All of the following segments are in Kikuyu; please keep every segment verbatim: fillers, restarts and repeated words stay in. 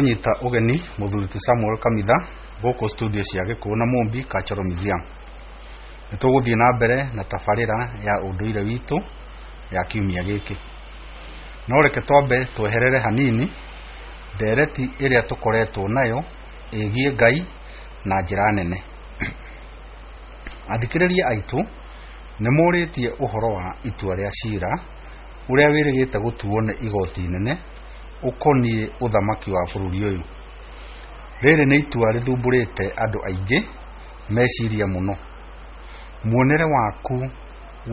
Nyita ũgeni mũthuri ti Samuel Kamitha gũkũ studio cia Gĩkũyũ na Mũmbi Cultural Museum. Nĩ tũgũthiĩ na mbere na tabarĩra ya ũndũire witũ ya kiumia gĩkĩ. No reke twambe tweherere hanini ndereti ĩrĩa tũkoretwo nayo ĩgiĩ Ngai na njĩra nene. Athikĩrĩria aitũ nĩ morĩtie ũhoro wa itua rĩa cira ũrĩa wĩrĩgĩte gũtuo nĩ igoti inene ũkoniĩ ũthamaki wa bũrũri ũyũ. Rĩrĩ nĩ itua rĩthumbũrĩte andũ aingĩ meciria mũno. Muonere waku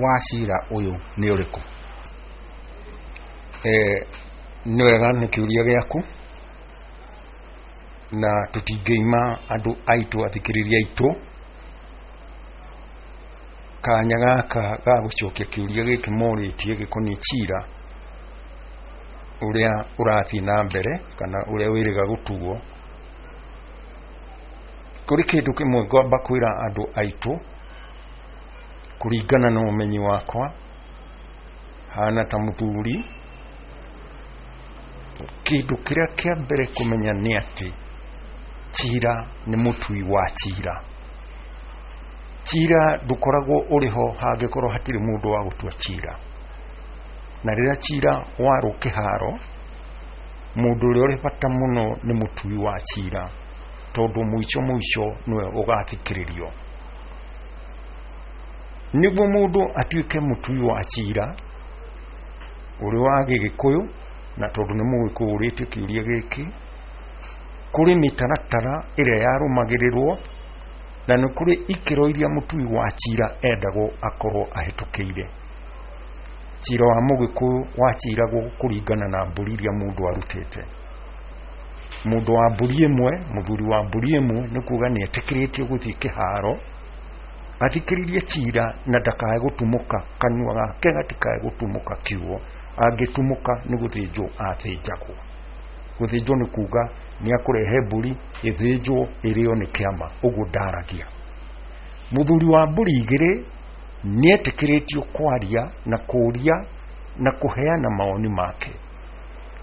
wa cira ũyũ nĩ ũrĩkũ? Eh, nĩ wega nĩ kĩũria gĩaku na tũtingĩima andũ aitũ athikĩrĩria aitũ kanya gaka ga gũcokia kĩũria gĩkĩ morĩtie gĩkoniĩ cira ũrĩa ũrathiĩ na mbere kana ũrĩa wĩrĩga gũtuo. Kũrĩ kĩndũ kĩmwe ngwamba kwĩra andũ aitũ kũringana na ũmenyi wakwa hana ta mũthuri, kĩndũ kĩrĩa kĩa mbere kũmenya nĩ atĩ cira nĩ mũtui wa cira. Cira ndũkoragwo ũrĩ ho hangĩkorwo hatirĩ mũndũ wa gũtua cira, na rĩrĩa cira warwo kĩharo, mũndũ ũrĩa ũrĩ bata mũno nĩ mũtui wa cira, tondũ mũico mũico nĩwe ũgathikĩrĩrio. Nĩguo mũndũ atuĩke mũtui wa cira ũrĩ wa Gĩgĩkũyũ, na tondũ nĩ Mũgĩkũyũ ũrĩtie kĩũria gĩkĩ, kũrĩ mĩtaratara ĩrĩa yarũmagĩrĩrwo na nĩ kũrĩ ikĩro iria mũtui wa cira endagwo akorwo ahĩtũkĩire. Cira wa Mũgĩkũyũ waciragwo kũringana na mbũri iria mũndũ arutĩte. Mũndũ wa mbũri ĩmwe, mũthuri wa mbũri ĩmwe, nĩ kuga nĩ etĩkĩrĩtio gũthiĩ kĩharo athikĩrĩrie cira na ndakae gũtumũka, kanua gake gatikae gũtumũka kiugo. Angĩtumũka nĩ gũthĩnjwo athĩnjagwo. Gũthĩnjwo nĩ kuga nĩ akũrehe mbũri ĩthĩnjwo ĩrĩo nĩ kĩama, ũguo ndaragia. Mũthuri wa mbũri igĩrĩ nĩ etĩkĩrĩtio kwaria na kũria na kũheana mawoni make,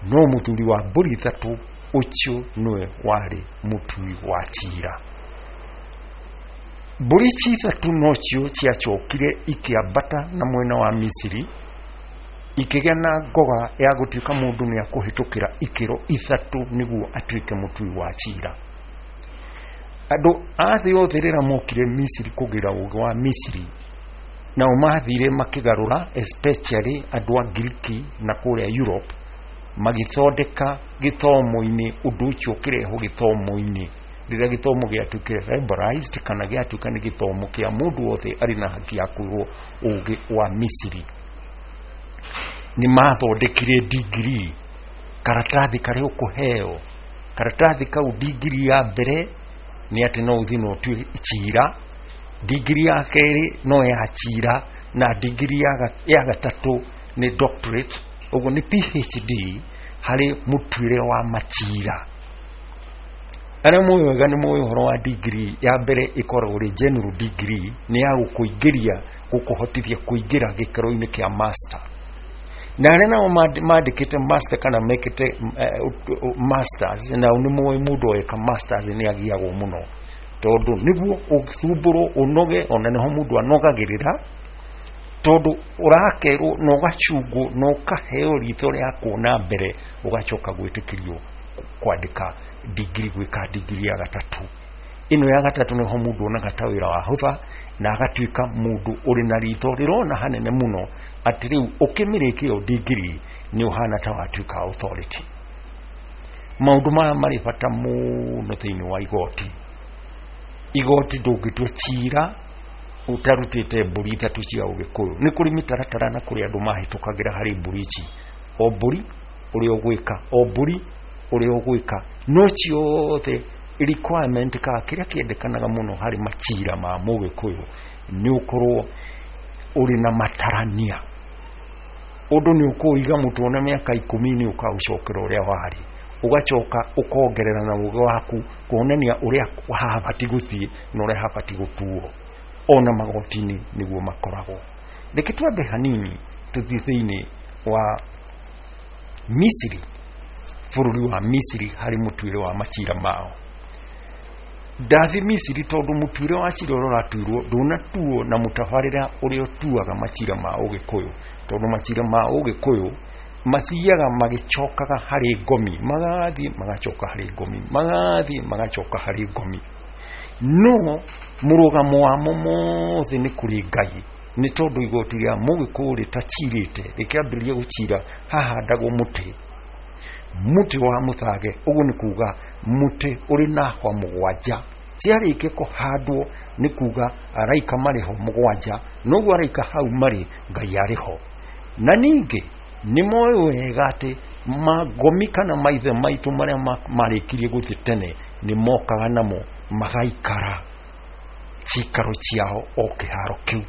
no mũthuri wa mbũri ithatũ ũcio nĩwe warĩ mũtui wa cira. Mbũri ici ithatũ nocio ciacokire ikĩambata na mwena wa Misiri, ikĩgĩa na ngoga ya gũtuĩka mũndũ nĩ akũhĩtũkĩra ikĩro ithatũ nĩguo atuĩke mũtui wa cira. Andũ a thĩ yothe rĩrĩa mokire Misiri kũgĩra ũgĩ wa Misiri, nao mathire makĩgarũra, especially andũ a Ngiriki na kũrĩa Europe, magĩthondeka gĩthomo-inĩ, ũndũ ũcio ũkĩrehwo gĩthomo-inĩ. Rĩrĩa gĩthomo gĩatuĩkire liberalized kana gĩatuĩka nĩ gĩthomo kĩa mũndũ wothe arĩ na haki ya kwĩrwo ũgĩ wa Misiri, nĩ mathondekire degree, karatathi karĩa ũkũheo. Karatathi kau degree ya mbere nĩ atĩ no ũthiĩ na ũtue cira, degree ya kerĩ no ya cira, na degree ya gatatũ nĩ doctorate, ũguo nĩ P H D harĩ mũtuĩre wa macira. Arĩa moĩ wega nĩ moĩ ũhoro wa degree ya mbere ĩkoragwo ĩrĩ general degree, nĩ ya gũkũingĩria, gũkũhotithia kũingĩra gĩkĩro-inĩ kĩa master. Na arĩa nao mandĩkĩte master kana mekĩte masters, nao nĩ moĩ mũndũ eka masters nĩ agiagwo mũno, tondũ nĩguo ũthumbũrwo ũnoge, ona nĩho mũndũ anogagĩrĩra, tondũ ũrakerwo na ũgacungwo na ũkaheo ritho rĩa kuona mbere, ũgacoka gwĩtĩkĩrio kwandĩka degree, gwĩka degree ya gatatũ. Ĩno ya gatatũ nĩho mũndũ onaga ta wĩra wahũtha na agatuĩka mũndũ ũrĩ na ritho rĩrona hanene mũno, atĩ rĩu ũkĩmĩrĩkia ĩyo degree nĩ ũhana ta watuĩka authority. Maũndũ maya marĩ bata mũno thĩinĩ wa igoti. Igoti ndũngĩtua cira ũtarutĩte mbũri ithatũ cia Ũgĩkũyũ. Nĩ kũrĩ mĩtaratara na kũrĩ andũ mahĩtũkagĩra harĩ mbũri ici, o mbũri ũrĩa ũgwĩka, o mbũri ũrĩa ũgwĩka, no ciothe requirement ka kĩrĩa kĩendekanaga mũno harĩ macira ma Mũgĩkũyũ nĩ ũkorwo ũrĩ na matarania. Ũndũ nĩ ũkũiga mũtwe na mĩaka ikũmi nĩ ũkaũcokera ũrĩa warĩ, ũgacoka ũkongerera na ũgĩ waku kuonania ũrĩa habati gũthiĩ na ũrĩa habati gũtuo. Ona magoti-inĩ nĩguo makoragwo. Reke twambe hanini tũthiĩ thĩinĩ wa Misiri. bũrũri wa Misiri harĩ mũtuĩre wa macira mao. Ndathi Misiri tondũ mũtuĩre wa cira ũrĩa ũratuirwo ndũnatuo na mũtabarĩre ũrĩa ũtuaga macira ma Ũgĩkũyũ, tondũ macira ma Ũgĩkũyũ mathiaga magĩcokaga harĩ ngomi, magathiĩ magacoka harĩ ngomi, magathiĩ magacoka harĩ ngomi. No mũrũgamo wamo mothe nĩ kũrĩ Ngai, nĩ tondũ igoti rĩa Mũgĩkũyũ rĩtacirĩte rĩkĩambĩrĩria gũcira hahandagwo mũtĩ, mũtĩ wa mũthage, ũguo nĩ kuga mũtĩ ũrĩ na hwa mũgwanja. Ciarĩkia kũhandwo nĩ kuga araika marĩ ho mũgwanja, noguo araika hau marĩ Ngai arĩ ho. Na ningĩ nĩ moĩ wega atĩ mangomi kana maithe maitũ marĩa marĩkirie gũthiĩ tene nĩ mokaga namo magaikara cikaro ciao o kĩharo kĩu.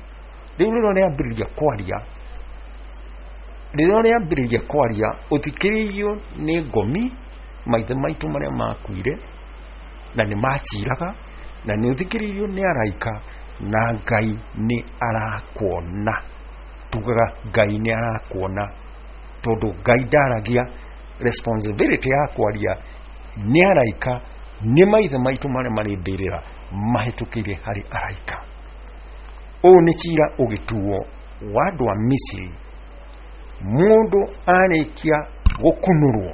Rĩu rĩrĩa rĩambĩrĩria kwaria, rĩrĩa rĩambĩrĩria kwaria ũthikĩrĩirio nĩ ngomi maithe maitũ marĩa makuire na nĩ maciraga, na nĩ ũthikĩrĩirio nĩ araika, na Ngai nĩ arakuona. Tugaga Ngai nĩ arakuona tondũ Ngai ndaragia, responsibility ya kwaria nĩ araika, nĩ maithe maitũ marĩa marĩ mbĩrĩra mahĩtũkĩire harĩ araika. Ũũ nĩ cira ũgĩtuo wa andũ a Misiri. Mũndũ arĩkia gũkunũrwo,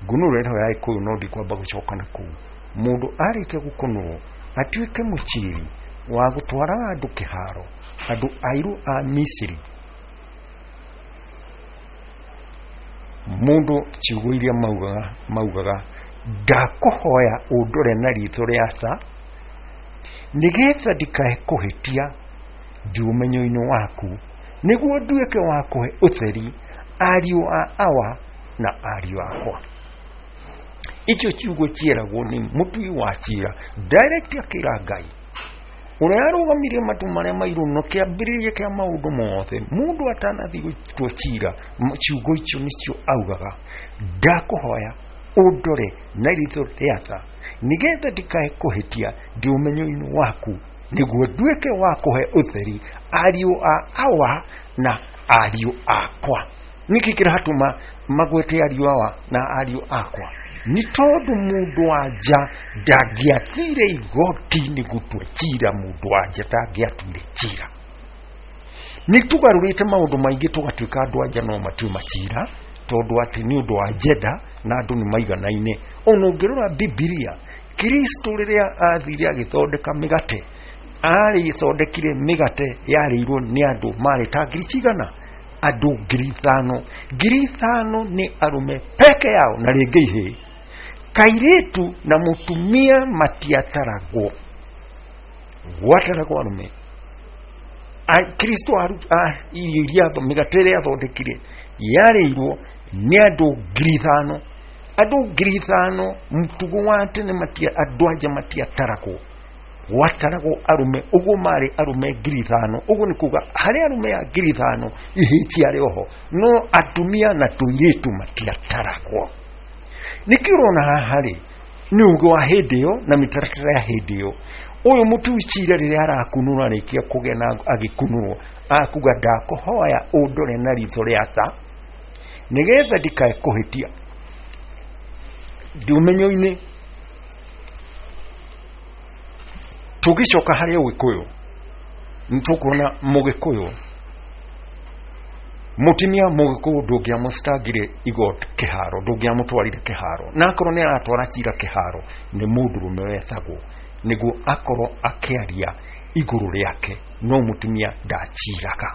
ngunũro ĩno ya Gĩkũyũ no ndikwamba gũcoka na kũu. Mũndũ arĩkia gũkunũrwo atuĩke mũciri wa gũtwaraga andũ kĩharo, andũ airũ a Misiri. Mũndũ ciugo iria maugaga maugaga ndakũhoya ũndore na ritho rĩa tha nĩgetha ndikae kũhĩtia ndĩ ũmenyo-inĩ waku, nĩguo nduĩke wa kũhe ũtheri ariũ a awa na ariũ akwa. Icio ciugo cieragwo nĩ mũtui wa cira direct akĩra Ngai ũrĩa arũgamirie matu marĩa mairũ no kĩambĩrĩria kĩa maũndũ mothe. Mũndũ atanathiĩ gũtua cira, ciugo icio nĩcio augaga, ndakũhoya ũndore na ritho rĩa tha nĩgetha ndikae kũhĩtia ndĩ ũmenyo-inĩ waku, nĩguo nduĩke wa kũhe ũtheri ariũ a awa na ariũ akwa. Nĩkĩ kĩratũma magwete ariũ awa na ariũ akwa? Nĩ tondũ mũndũ wa nja ndangĩathire igoti-inĩ gũtua cira, mũndũ wa nja ndangĩatuire cira. Nĩ tũgarũrĩte maũndũ maingĩ tũgatuĩka andũ a nja no matue macira, tondũ atĩ nĩ ũndũ wa njenda na andũ nĩ maiganaine. Ona ũngĩrora Bibilia, Kristo rĩrĩa athire agĩthondeka mĩgate, arĩthondekire mĩgate yarĩirwo nĩ andũ marĩ ta ngiri cigana? Andũ ngiri ithano. Ngiri ithano nĩ arũme peke yao na rĩngĩ ihĩĩ. Kairĩtu na mũtumia matiataragwo, gwataragwo arũme. Kristo irio iria mĩgate ĩrĩa athondekire yarĩirwo nĩ andũ ngiri ithano. Andũ ngiri ithano mũtugo wa tene matia andũ anja matiataragwo, gwataragwo arũme. Ũguo marĩ arũme ngiri ithano, ũguo nĩ kuga harĩ arũme a ngiri ithano ihĩĩ ciarĩ oho, no atumia na tũirĩtu matiataragwo. Nĩkĩo ũrona haha rĩ nĩ ũgĩ wa hĩndĩ ĩyo na mĩtaratara ya hĩndĩ ĩyo. Ũyũ mũtui cira rĩrĩa arakunũra arĩkia kũgĩa na agĩkunũrwo akuga ndakũhoya ũndore na ritho rĩa tha nĩgetha ndikae kũhĩtia ndĩ ũmenyo-inĩ. Tũgĩcoka harĩ Ũgĩkũyũ nĩ tũkuona Mũgĩkũyũ mũtumia Mũgĩkũyũ ndũngĩamũcitangire igoti kĩharo, ndũngĩamũtwarire kĩharo, na akorwo nĩ aratwara cira kĩharo nĩ mũndũrũme wetagwo nĩguo akorwo akĩaria igũrũ rĩake, no mũtumia ndaciraga.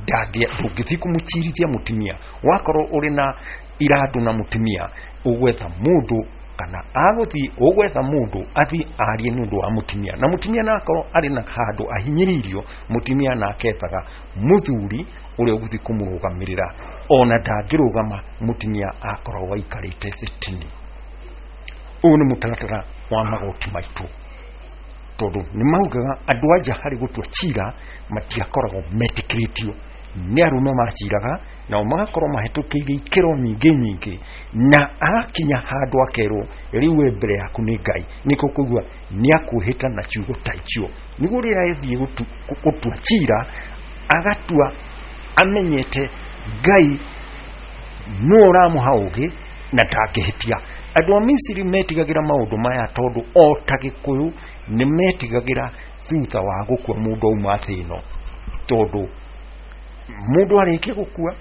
Ndũngĩthiĩ kũmũcirithia mũtumia, wakorwo ũrĩ na irandũ na mũtumia ũgwetha mũndũ kana agũthiĩ ũgwetha mũndũ athiĩ arie nĩ ũndũ wa mũtumia, na mũtumia na akorwo arĩ na handũ ahinyĩrĩirio, mũtumia nake ethaga mũthuri ũrĩa ũgũthiĩ kũmũrũgamĩrĩra. Ona ndangĩrũgama mũtumia akoragwo aikarĩte thĩtini. Ũyũ nĩ mũtaratara wa magoti maitũ, tondũ nĩ maugaga andũ anja harĩ gũtua cira matiakoragwo metĩkĩrĩtio, nĩ arũme maciraga nao magakorwo mahĩtũkĩire ikĩro nyingĩ nyingĩ, na agakinya handũ akerwo rĩu we mbere yaku nĩ Ngai. Nĩkĩo kũigua nĩ akwĩhĩta na ciugo ta icio, nĩguo rĩrĩa athiĩ gũtua cira agatua amenyete Ngai nũ ũramũha ũgĩ, Na ndangĩhĩtia. Andũ a Misiri metigagĩra maũndũ maya tondũ o ta Gĩkũyũ nĩ metigagĩra thutha wa gũkua mũndũ auma thĩ ĩno, tondũ mũndũ arĩkia gũkua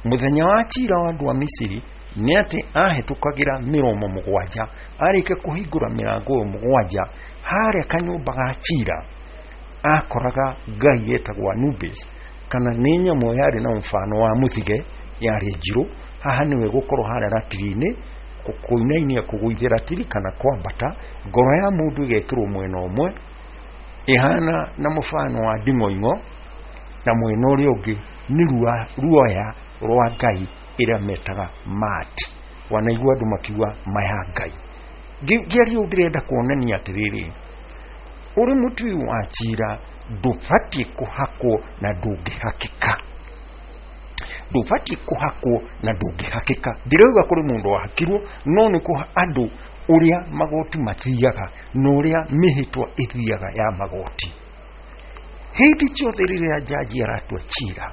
mũthenya wa cira wa andũ a Misiri nĩ atĩ ahĩtũkagĩra mĩromo mũgwanja, arĩkia kũhingũra mĩrango ĩyo mũgwanja harĩa kanyũmba ga cira akoraga ngai etagwo Anubis, kana nĩ nyamũ yarĩ na mfano wa mũthige, yarĩ njirũ. Haha nĩwe gũkorwo harĩa ratiri-inĩ kũinainia kũgũithia ratiri kana kwambata, ngoro ya mũndũ ĩgekĩrwo mwena ũmwe ĩhana na mũbano wa nding'oing'o, na mwena ũrĩa ũngĩ nĩ ruoya rwa ngai ĩrĩa metaga Maat. Wanaigua andũ makiuga maya ngai. Ngĩaria ũũ ndĩrenda kuonania atĩrĩrĩ, ũrĩ mũtui wa cira ndũbatiĩ kũhakwo na ndũngĩhakĩka, ndũbatiĩ kũhakwo na ndũngĩhakĩka. Ndirauga kũrĩ mũndũ wahakirwo, no nĩ kũha andũ ũrĩa magoti mathiaga na ũrĩa mĩhĩtwa ĩthiaga ya magoti. Hĩndĩ ciothe rĩrĩa jaji aratua cira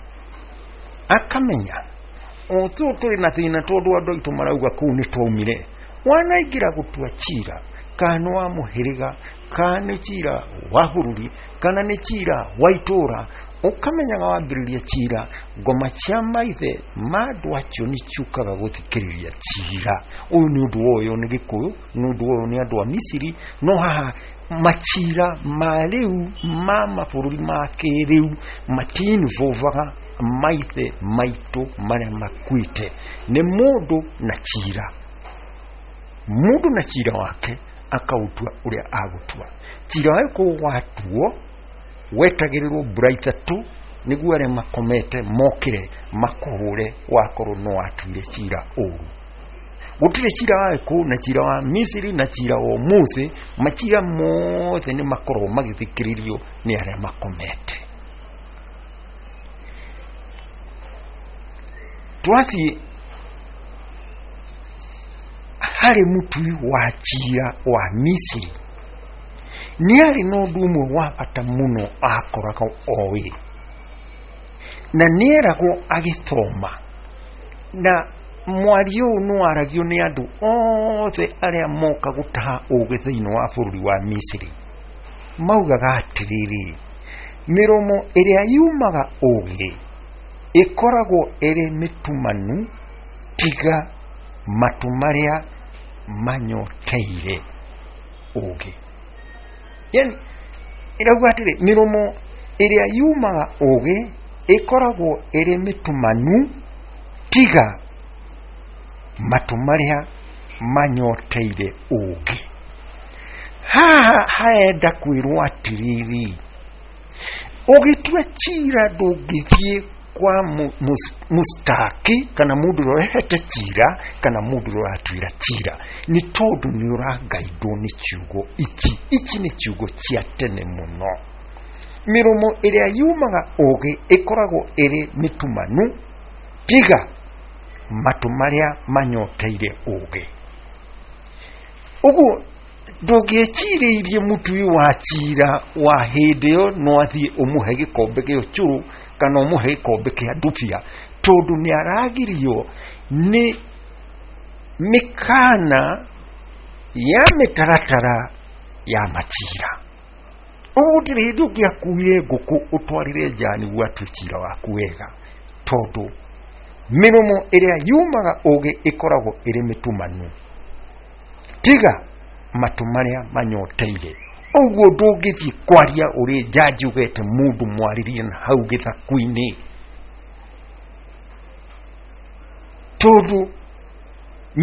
akamenya o tũ tũrĩ na thĩna tondũ andũ aitũ marauga kũu nĩ twaumire. Wanaingĩra gũtua cira kana nĩ wa mũhĩrĩga, kana nĩ cira wa bũrũri, kana nĩ cira wa itũra, ũkamenyaga wambĩrĩria cira ngoma cia maithe ma andũ acio nĩ ciũkaga gũthikĩrĩria cira. Ũyũ nĩ ũndũ woywo nĩ Gĩkũyũ, nĩ ũndũ woywo nĩ andũ a Misiri, no haha macira ma rĩu ma mabũrũri ma kĩrĩu matinvovaga maithe maitũ marĩa makuĩte. Nĩ mũndũ na cira, mũndũ na cira wake akautua ũrĩa agũtua. Cira wa Gĩkũyũ watuo wetagĩrĩrwo mbura ithatũ nĩguo arĩa makomete mokĩre makũhũre wakorwo no watuire cira ũru. Gũtirĩ cira wa Gĩkũyũ na cira wa Misiri na cira wa ũmũthĩ, macira mothe nĩ makoragwo magĩthikĩrĩrio nĩ arĩa makomete. Twathiĩ harĩ mũtui wa cira wa Misiri, nĩ arĩ na ũndũ ũmwe wa bata mũno akoragwo oĩ, na nĩeragwo agĩthoma, na mwario ũyũ nĩ waragio nĩ andũ othe arĩa moka gũtaha ũgĩ thĩinĩ wa bũrũri wa Misiri. Maugaga atĩrĩrĩ, mĩromo ĩrĩa yumaga ũgĩ ĩkoragwo ĩrĩ mĩtumanu tiga matũ marĩa manyoteire ũgĩ. Yani ĩrauga atĩrĩ, mĩromo ĩrĩa yumaga ũgĩ ĩkoragwo ĩrĩ mĩtumanu tiga matũ marĩa manyoteire ũgĩ. Haha haenda kwĩrwo atĩrĩrĩ, ũgĩtua cira ndũngĩthiĩ kwa mustaki kana mũndũ ũrĩa ũrehete cira kana mũndũ ũrĩa ũratuĩra cira, nĩ tondũ nĩ ũrangaindwo nĩ ciugo ici. Ici nĩ ciugo cia tene mũno. Mĩromo ĩrĩa yumaga ũgĩ ĩkoragwo ĩrĩ mĩtumanu tiga matũ marĩa manyoteire ũgĩ. Ũguo ndũngĩecirĩirie mũtui wa cira wa hĩndĩ ĩyo no athiĩ ũmũhe gĩkombe gĩa ũcũrũ kana ũmũhe gĩkombe kĩa ndubia, tondũ nĩ aragirio nĩ mĩkana ya mĩtaratara ya macira. Ũguo gũtirĩ hĩndĩ ũngĩakuire ngũkũ ũtwarĩre nja nĩguo atue cira waku wega, tondũ mĩromo ĩrĩa yumaga ũgĩ ĩkoragwo ĩrĩ mĩtumanu tiga matũ marĩa manyoteire. Ũguo ndũngĩthiĩ kwaria ũrĩ jaji ũgete mũndũ mwarĩrie na hau gĩthaku-inĩ, tondũ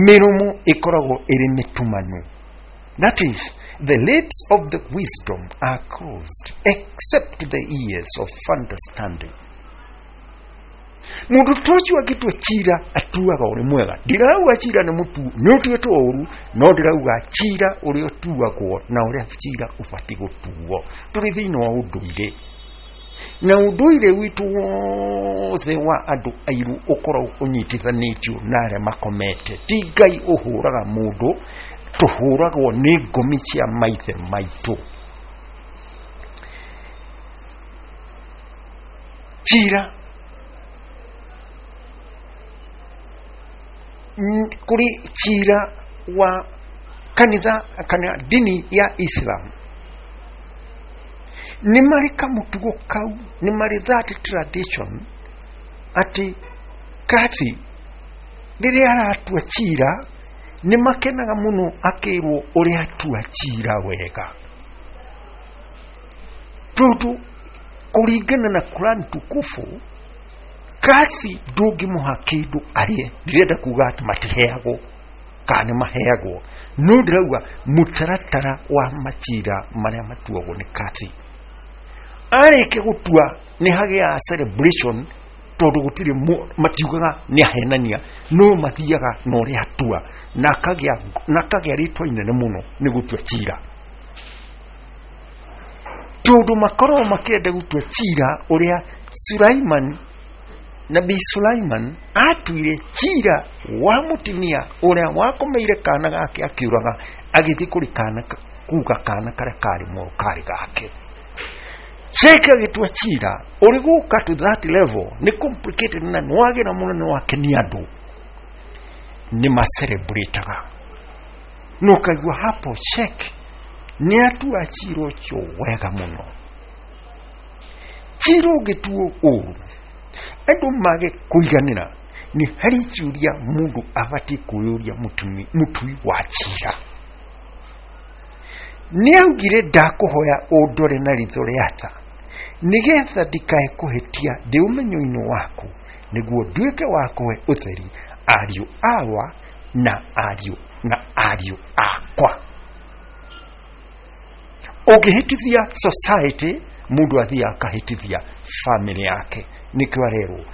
mĩromo ĩkoragwo ĩrĩ mĩtumanu. That is, the lips of the wisdom are closed except the ears of understanding. Mũndũ ta ũcio angĩtua cira atuaga ũrĩ mwega. Ndirauga cira nĩ mũtu nĩ ũtuĩtwo ũru, no ndĩrauga cira ũrĩa ũtuagwo na ũrĩa cira ũbatiĩ gũtuo. Tũrĩ thĩinĩ wa ũndũire, na ũndũire witũ wothe wa andũ airũ ũkoragwo ũnyitithanĩtio na arĩa makomete. Ti Ngai ũhũraga mũndũ, tũhũragwo nĩ ngomi cia maithe maitũ. Cira Kũrĩ cira wa kanitha kana dini ya Islam nĩ marĩ kamũtugo kau, nĩ marĩ that tradition atĩ kathi rĩrĩa aratua cira nĩ makenaga mũno akĩrwo ũrĩa atua cira wega, tondũ kũringana na Quran tukufu kathi ndũngĩmũha kĩndũ arĩe. Ndĩrenda kuga atĩ matiheagwo kana nĩ maheagwo, no ndĩrauga mũtaratara wa macira marĩa matuagwo nĩ kathi. Arĩkia gũtua nĩ hagĩaga celebration, tondũ gũtirĩ matiugaga nĩ ahenania, no mathiaga na ũrĩa atua, na akagĩa na akagĩa rĩtwa inene mũno nĩ gũtua cira, tondũ makoragwo makĩenda gũtua cira ũrĩa Sulaiman, Nabii Sulaiman atuire cira wa mũtumia ũrĩa wakomeire kana gake akiũraga, agĩthiĩ kũrĩ kana kuga kana karĩa karĩ mũru karĩ gake. Sheikh agĩtua cira ũrĩ gũka to that level nĩ complicated na nĩwagĩra mũno nĩ wakenia andũ nĩ macelebrataga, no ũkaigua hapo Sheikh nĩ atua cira ũcio wega mũno. Cira ũngĩtuo ũru andũ mage kũiganĩra, nĩ harĩ ciũria mũndũ abatiĩ kwĩyũria mũtui wa cira. Nĩ augire ndakũhoya ũndore na ritho rĩa tha nĩgetha ndikae kũhĩtia ndĩ ũmenyo-inĩ waku, nĩguo nduĩke wa kũhe ũtheri ariũ awa na ariũ na ariũ akwa. Ũngĩhĩtithia society, mũndũ athiaga akahĩtithia family yake. Nĩkĩo arerwo,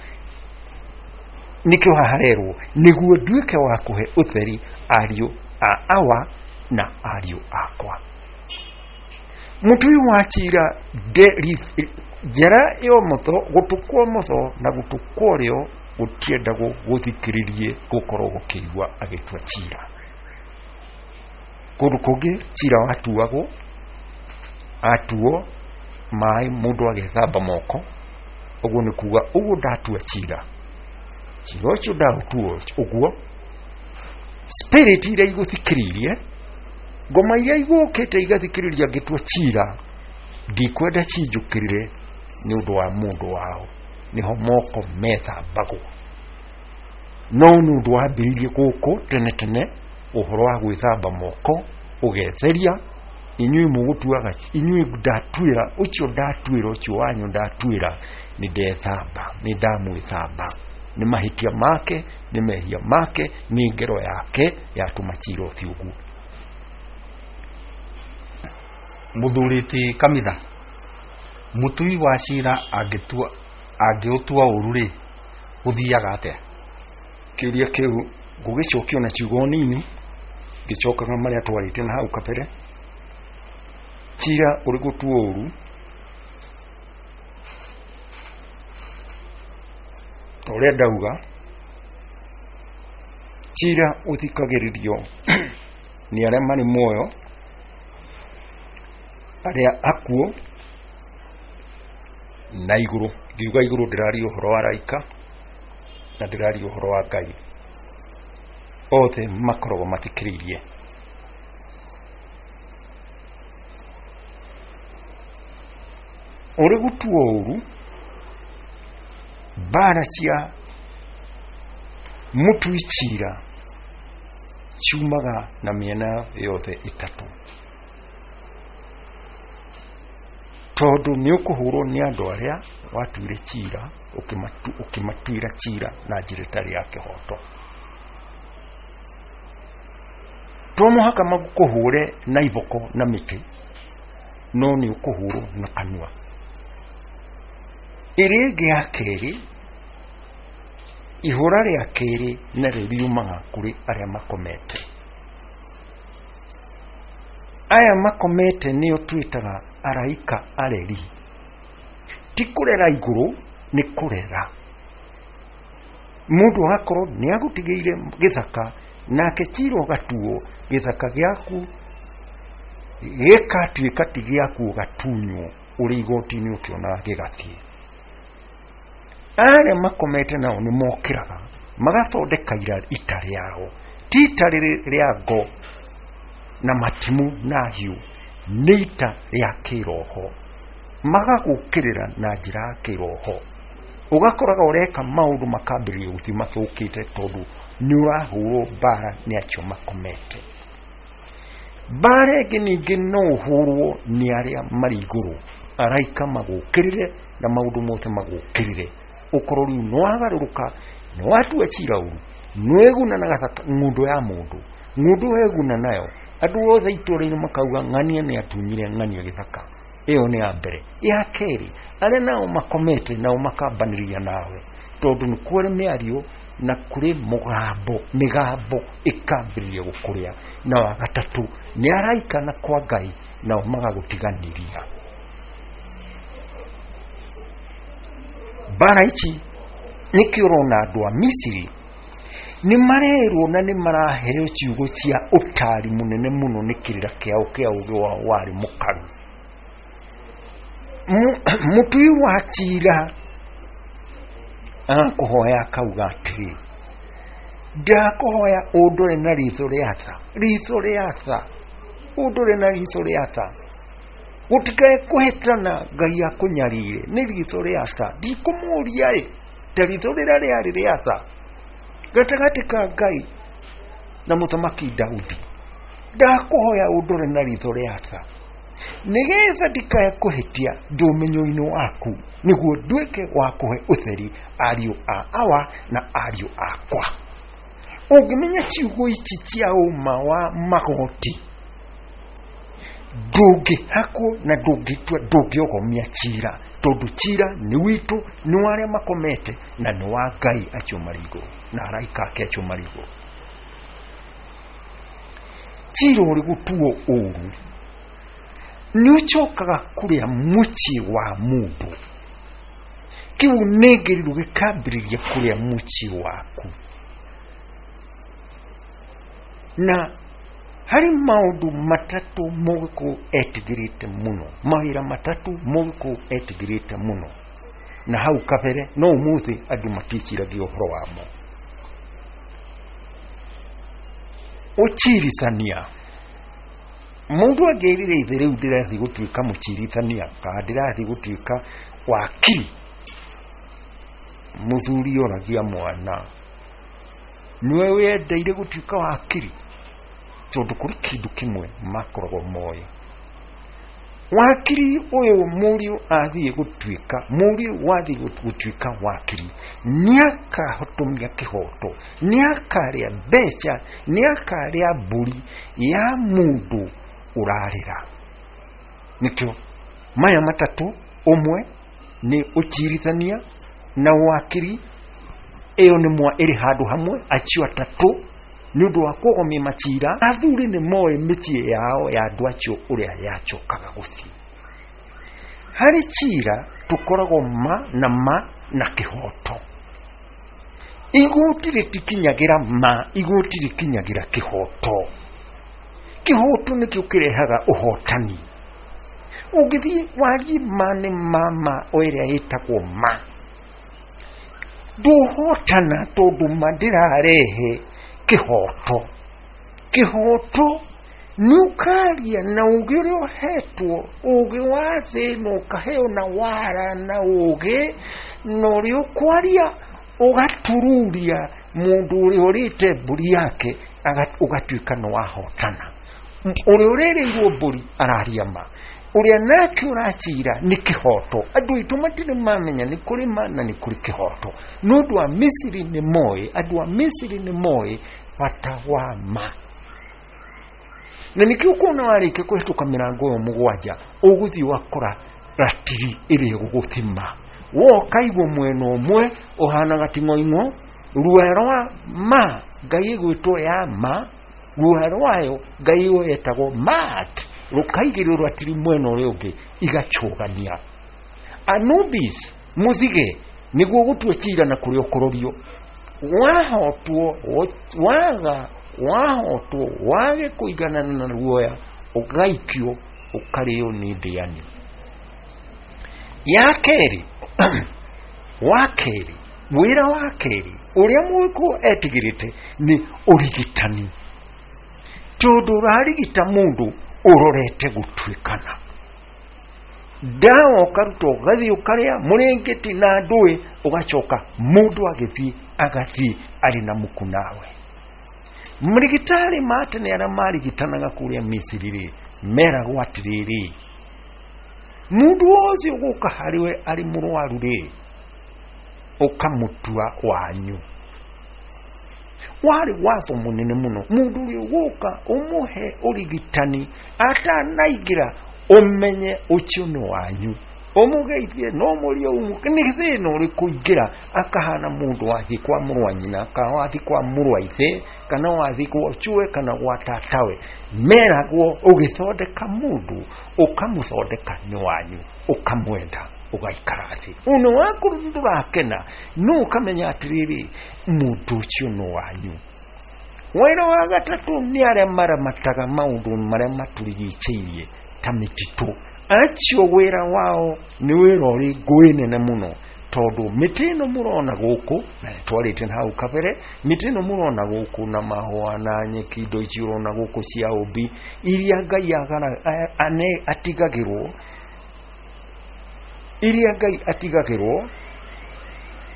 nĩkĩo haharerwo nĩguo nduĩke wa kũhe ũtheri ariũ a awa na ariũ akwa. Mũtui wa cira njara ya ũmotho, gũtũ kwa ũmotho na gũtũ kwa ũrĩo gũtiendagwo gũthikĩrĩrie gũkorwo gũkĩigua agĩtua cira. Kũndũ kũngĩ cira watuagwo atuo maĩ mũndũ agethamba moko, ũguo nĩ kuga ũguo ndatua cira, cira ũcio ndaũtua ũguo, spirit iria igũthikĩrĩirie, ngoma iria igũkĩte igathikĩrĩria ngĩtua cira, ndikwenda cinjũkĩrĩre nĩ ũndũ wa mũndũ wao, nĩho moko methambagwo. No nĩ ũndũ wambĩrĩirie gũkũ tene tene ũhoro wa gwĩthamba moko ũgetheria, inyuĩ mũgũtuaga, inyuĩ ndatuĩra ũcio ndatuĩra ũcio wanyu ndatuĩra, nĩ ndethamba, nĩ ndamwĩthamba, nĩ mahĩtia make, nĩ mehia make, nĩ ngero yake yatũma cira ũthiĩ ũguo. Mũthuri ti Kamitha, mũtui wa cira angĩtua angĩũtua ũru rĩ, gũthiaga atĩa? Kĩũria kĩu ngũgĩcokia na ciugo nini, ngĩcokaga marĩa twarĩtie na hau kabere. Cira ũrĩ gũtuo ũru ta ũrĩa ndauga, cira ũthikagĩrĩrio nĩ arĩa marĩ muoyo, arĩa akuũ na igũrũ. Ngiuga igũrũ ndĩraria ũhoro wa araika na ndĩraria ũhoro wa Ngai, othe makoragwo mathikĩrĩirie. Ũrĩ gũtuo ũru, mbara cia mũtui cira ciumaga na mĩena yothe ĩtatũ, tondũ nĩ ũkũhũrwo nĩ andũ arĩa watuire cira, ũkĩmatuĩra cira na njĩra ĩtarĩ ya kĩhoto. To mũhaka makũhũre na iboko na mĩtĩ, no nĩ ũkũhũrwo na kanua. Ĩrĩa ĩngĩ ya kerĩ, ihũra rĩa kerĩ narĩo riumaga kũrĩ arĩa makomete. Aya makomete nĩo twĩtaga araika areri. Ti kũrera igũrũ, nĩ kũrera. Mũndũ agakorwo nĩ agũtigĩire gĩthaka, nake cira ũgatuo gĩthaka gĩaku gĩkatuĩka ti gĩaku, ũgatunywo ũrĩ igoti-inĩ ũkĩonaga gĩgathiĩ. Arĩa makomete nao nĩ mokĩraga Magathondeka ita rĩao. Ti ita rĩrĩ rĩa ngo na matimu na hiũ, nĩ ita rĩa kĩroho. Magagũkĩrĩra na njĩra ya kĩroho. Ũgakoraga ũreka maũndũ makambĩrĩria gũthiĩ mathũkĩte tondũ nĩ ũrahũrwo mbara nĩ acio makomete. Mbara ĩngĩ ningĩ no ũhũrwo nĩ arĩa marĩ igũrũ, araika magũkĩrĩre na maũndũ mothe magũkĩrĩre. Ũkorwo rĩu nĩ wagarũrũka, nĩ watua cira ũru, nĩ weguna na ng'ũndũ ya mũndũ, ng'ũndũ weguna nayo, andũ othe itũũra-inĩ makauga ng'ania nĩ atunyire ng'ania gĩthaka. Ĩyo nĩ ya mbere. Ya kerĩ, arĩa nao makomete nao makambanĩria nawe, tondũ nĩ kũrĩ mĩario na kũrĩ mũgambo, mĩgambo ĩkambĩrĩria gũkũrĩa. Na wa gatatũ nĩ araika na kwa Ngai nao magagũtiganĩria. Mbara ici nĩkĩo ũrona andũ a Misiri nĩ marerwo na nĩ maraheo ciugo cia ũtari mũnene mũno nĩ kĩrĩra kĩao kĩa ũgĩ wao warĩ mũkaru. Mũtui wa cira akũhoya akauga atĩrĩ, ndakũhoya ũndore na ritho rĩa tha, ritho rĩa tha, ũndore na ritho rĩa tha, gũtikae kũhĩtana Ngai akũnyarire nĩ ritho rĩa tha. Ndikũmũria ĩ ta ritho rĩrĩa rĩarĩ rĩa tha gatagatĩ ka Ngai na mũthamaki Daudi, ndakũhoya ũndore na ritho rĩa tha nĩgetha ndikae kũhĩtia ndĩ ũmenyo-inĩ waku, nĩguo nduĩke wa kũhe ũtheri ariũ a awa na ariũ akwa. Ũngĩmenya ciugo ici cia ũma wa magoti, ndũngĩhakwo na ndũngĩtua, ndũngĩogomia cira, tondũ cira nĩ witũ, nĩ wa arĩa makomete na nĩ wa Ngai acio marĩ igũrũ na araika ake acio marĩ igũrũ. Cira ũrĩ gũtuo ũru nĩ ũcokaga kũrĩa mũciĩ wa mũndũ. Kĩu nĩngĩrirwo gĩkambĩrĩria kũrĩa mũciĩ waku. Na harĩ maũndũ matatũ mũgĩkũyũ etigĩrĩte mũno, mawĩra matatũ mũgĩkũyũ etigĩrĩte mũno, na hau kabere no ũmũthĩ andũ maticiragia ũhoro wamo. Ũcirithania. Mũndũ angĩrire ithe rĩu ndĩrathiĩ gũtuĩka mũcirithania kana ndĩrathiĩ gũtuĩka wakiri, mũthuri oragia mwana, nĩwe wendeire gũtuĩka wakiri? Tondũ kũrĩ kĩndũ kĩmwe makoragwo moĩ. Wakiri ũyũ mũriũ athiĩ gũtuĩka, mũriũ wathiĩ gũtuĩka wakiri, nĩakahotomia kĩhoto, nĩakarĩa mbeca, nĩakarĩa mbũri ya mũndũ ũrarĩra. Nĩkĩo maya matatũ, ũmwe nĩ ũcirithania na wakiri, ĩyo nĩ mwa ĩrĩ handũ hamwe, acio atatũ nĩ ũndũ wa kũgomia macira. Athuri nĩ moĩ mĩciĩ yao ya andũ acio ũrĩa yacokaga gũthiĩ. Harĩ cira tũkoragwo ma na ma na kĩhoto. Igoti rĩtikinyagĩra ma, igoti rĩkinyagĩra kĩhoto. Kĩhoto nĩkĩo kĩrehaga ũhotani. Ũngĩthiĩ warie ma nĩ ma ma o ĩrĩa ĩtagwo ma, ndũhotana tondũ ma ndĩrarehe kĩhoto. Kĩhoto nĩ ũkaria na ũgĩ ũrĩa ũhetwo, ũgĩ wa thĩ ĩno ũkaheo na wara na ũgĩ, na ũrĩa ũkwaria ũgatururia mũndũ ũrĩa ũrĩte mbũri yake, ũgatuĩka nĩ wahotana. Ũrĩa ũrĩrĩirwo mbũri araria ma, ũrĩa nake ũracira nĩ kĩhoto. Andũ aitũ matirĩ mamenya nĩ kũrĩ ma na nĩ kũrĩ kĩhoto. Nĩ ũndũ wa Misiri nĩ moĩ, andũ a Misiri nĩ moĩ bata wa ma. Na nĩkĩo ũkuona warĩkia kũhĩtũka mĩrango ĩyo mũgwanja, ũgũthiĩ ũgakora ratiri ĩrĩa ĩgũgũthima. Woka igwo mwena ũmwe ũhana gating'oing'o, ruoya rwa ma Ngai ĩgwĩtwo ya ma, ruoya rwayo Ngai ĩyo ĩtagwo mat, rũkaigĩrĩrwo ratiri mwena ũrĩa ũngĩ igacũgania. Anubis mũthige nĩguo gũtua cira na kũrĩa ũkũrorio. Wahotwo, waga, wahotwo, wage kũiganana na ruoya, ũgaikio ũkarĩo nĩ ndĩani. Ya kerĩ, wa kerĩ Wĩra wa kerĩ ũrĩa mũgĩkũyũ etigĩrĩte nĩ ũrigitani, tondũ ũrarigita mũndũ ũrorete gũtuĩkana. Ndawa ũkaruta ũgathiĩ ũkarĩa mũrĩngĩti na ndũĩ, ũgacoka mũndũ agĩthiĩ agathiĩ arĩ na muku nawe. Marigitari ma tene arĩa marigitanaga kũrĩa Misiri rĩ, meragwo atĩrĩrĩ, mũndũ wothe ũgũka harĩwe arĩ mũrwaru rĩ, ũkamũtua wanyu. Warĩ watho mũnene mũno, mũndũ ũrĩa ũgũka ũmũhe ũrigitani atanaingĩra ũmenye ũcio nĩ wanyu, ũmũgeithie no mũrie ũmũ nĩ thĩna ũrĩkũ ingĩra, akahana mũndũ wathiĩ kwa mũrũ wa nyina kana wathiĩ kwa mũrũ wa ithe kana wathiĩ kwa cũwe kana gwa tatawe. Meragwo ũgĩthondeka mũndũ ũkamũthondeka nĩ wanyu, ũkamwenda ũgaikara thĩ ona wakorwo ndũrakena, no ũkamenya atĩrĩrĩ, mũndũ ũcio nĩ wanyu. Wĩra wa gatatũ nĩ arĩa maramataga maũndũ marĩa matũrigicĩirie ta mĩtitũ. Acio wĩra wao nĩ wĩra ũrĩ ngũĩ nene mũno, tondũ mĩtĩ ĩno mũrona gũkũ, na nĩtwarĩte na hau kabere, mĩtĩ ĩno mũrona gũkũ na mahũa na nyeki, indo ici ũrona gũkũ cia ũmbi iria Ngai agara ane atigagĩrwo, iria Ngai atigagĩrwo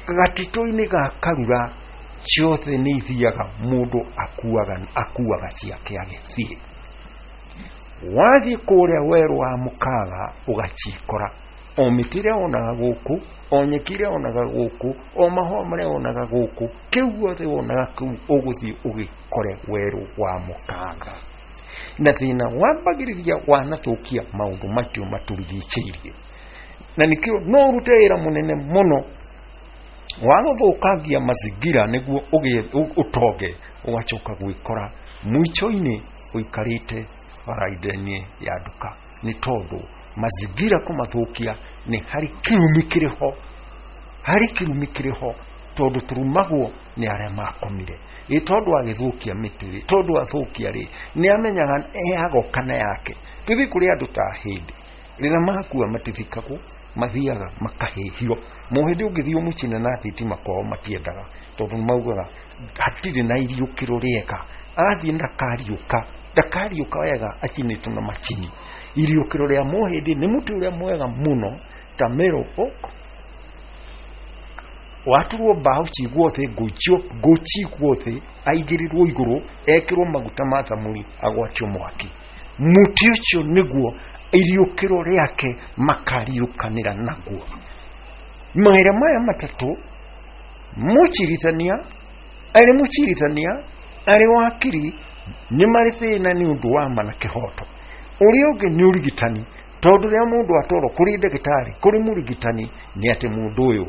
gatitũ-inĩ ga Karura, ciothe nĩ ithiaga, mũndũ akuaga akuaga ciake agĩthiĩ. Wathiĩ kũrĩa werũ wa mũkaga ũgacikora, o mĩtĩ ĩrĩa wonaga gũkũ, o nyeki ĩrĩa wonaga gũkũ, o mahũa marĩa wonaga gũkũ, kĩu guothe wonaga kũu ũgũthiĩ ũgĩkore werũ wa mũkaga. Na thĩna wambagĩrĩria wanathũkia maũndũ macio matũrigicĩirie, na nĩkĩo no ũrute wĩra mũnene mũno wa gũthũkangia mazingira nĩguo ũgĩe ũtonge, ũgacoka gwĩkora mũico-inĩ ũikarĩte barainĩ ya nduka, nĩ tondũ mazingira kũmathũkia nĩ harĩ kĩrumi kĩrĩ ho, harĩ kĩrumi kĩrĩ ho, tondũ tũrumagwo nĩ arĩa makomire. Ĩ tondũ agĩthũkia mĩtĩ rĩ, tondũ athũkia rĩ, nĩ amenyaga eagoka na yake. Tũthiĩ kũrĩ andũ ta hĩndĩ rĩrĩa makua matithikagwo, mathiaga makahĩhio. Mũhĩndĩ ũngĩthiĩ ũmũcine na thitima kwao matiendaga, tondũ nĩmaugaga hatirĩ na iriũkĩro rĩega, athiĩ ndakariũka, ndakariũka wega acinĩtwo na macini. Iriũkĩro rĩa mũhĩndĩ nĩ mũtĩ ũrĩa mwega mũno ta Mero Oak, waturwo mbaũ cigwo thĩ, ngũ cigwo thĩ, aigĩrĩrwo igũrũ, ekĩrwo maguta ma thamuri, agwatio mwaki. Mũtĩ ũcio nĩguo iriũkĩro rĩake makariũkanĩra naguo. Mawĩra maya matatũ, mũcirithania arĩ mũcirithania arĩ wakiri, nĩ marĩ thĩna nĩ ũndũ wa ma na kĩhoto. Ũrĩa ũngĩ nĩ ũrigitani, tondũ rĩrĩa mũndũ atwarwo kũrĩ ndagĩtarĩ, kũrĩ mũrigitani, nĩ atĩ mũndũ ũyũ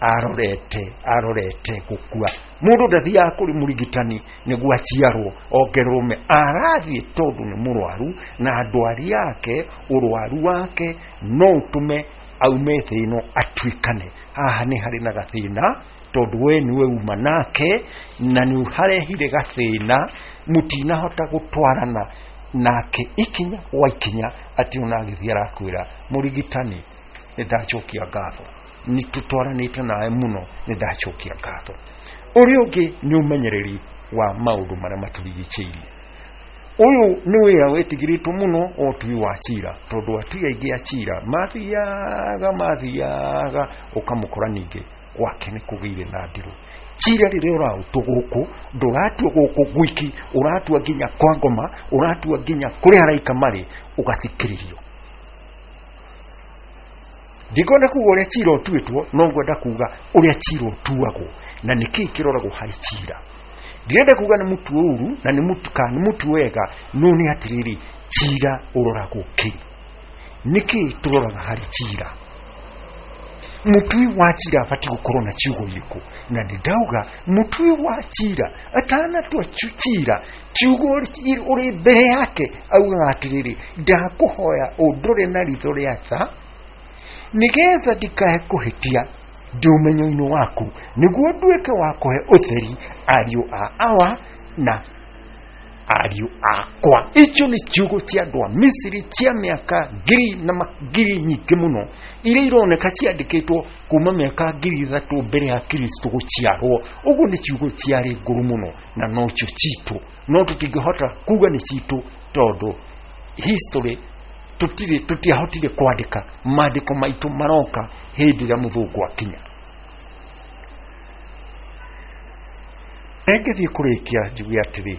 arorete arorete gũkua. Mũndũ ndathiaga kũrĩ mũrigitani nĩguo aciarwo ongererwo me, arathiĩ tondũ nĩ mũrwaru, na ndwari yake, ũrwaru wake no ũtũme aume thĩ ĩno atuĩkane. Haha nĩ harĩ na gathĩna, tondũ we nĩwe uma nake na nĩ harehire gathĩna, mũtinahota gũtwarana nake ikinya gwa ikinya, atĩ ona agĩthiĩ arakwĩra mũrigitani nĩ ndacokia ngatho, nĩ tũtwaranĩte nawe mũno, nĩ ndacokia ngatho. Ũrĩa ũngĩ nĩ ũmenyereri wa maũndũ marĩa matũrigicĩirie. Ũyũ nĩ wĩra wĩtigĩrĩtwo mũno wa ũtui wa cira, tondũ atui aingĩ a cira mathiaga mathiaga ũkamũkora ningĩ gwake nĩ kũgĩire na ndirũ. Cira rĩrĩa ũraũtwo gũkũ, ndũratua gũkũ gwiki, ũratua nginya kwa ngoma, ũratua nginya kũrĩa araika marĩ, ũgathikĩrĩrio. Ndikwenda kuga ũrĩa cira ũtuĩtwo, no ngwenda kuga ũrĩa cira ũtuagwo na nĩkĩĩ kĩroragwo harĩ cira. Ndirenda kuga nĩ mũtu ũru na nĩ mũtu kana nĩ mũtu wega, no nĩ atĩrĩrĩ, cira ũroragwo kĩ? Nĩkĩĩ tũroraga harĩ cira? Mũtui wa cira abatiĩ gũkorwo na ciugo irĩkũ? Na nĩ ndauga mũtui wa cira atanatua cira, kiugo ũrĩ mbere yake augaga atĩrĩrĩ, ndakũhoya ũndore na ritho rĩa tha nĩgetha ndikae kũhĩtia ndĩ ũmenyo-inĩ waku, nĩguo nduĩke wa kũhe ũtheri ariũ a awa na Ariũ akwa. Icio nĩ ciugo cia andũ a Misiri cia mĩaka ngiri na ngiri nyingĩ mũno, iria ironeka ciandĩkĩtwo kuma mĩaka ngiri ithatũ mbere ya Kristo gũciarwo. Ũguo nĩ ciugo ciarĩ ngũrũ mũno, na nocio citũ, no tũtingĩhota kuga nĩ citũ tondũ history tũtirĩ, tũtiahotire kwandĩka. Maandĩko maitũ maroka hĩndĩ ĩrĩa mũthũngũ akinya. Ngĩthiĩ kũrĩkia njuge atĩrĩ,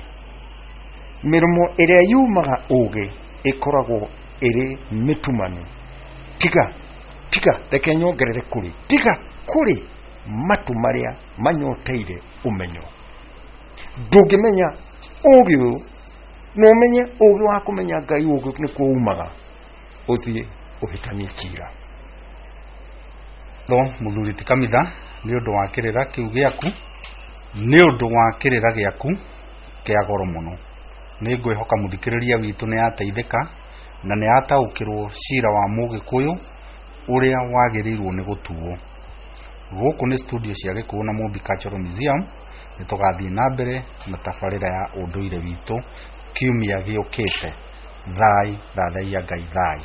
mĩromo ĩrĩa yumaga ũgĩ ĩkoragwo ĩrĩ mĩtumanu. Tiga, tiga, reke nyongerere kũrĩ, tiga kũrĩ matũ marĩa manyoteire ũmenyo. Ndũngĩmenya ũgĩ ũyũ, no ũmenye ũgĩ wa kũmenya Ngai, ũgĩ nĩkuo umaga, ũthiĩ ũhĩtanie cira. Tho mũthuri ti Kamitha, nĩ ũndũ wa kĩrĩra kĩu gĩaku, nĩ ũndũ wa kĩrĩra gĩaku kĩa goro mũno. Nĩ ngwĩhoka mũthikĩrĩria witũ nĩ ateithĩka na nĩ ataũkĩrwo cira wa Mũgĩkũyũ ũrĩa wagĩrĩirwo nĩ gũtuo. Gũkũ nĩ studio cia Gĩkũyũ na Mũmbi Cultural Museum. Nĩ tũgathiĩ na mbere na tabarĩra ya ũndũire witũ kiumia gĩũkĩte. Thai, thathaiya Ngai, thai.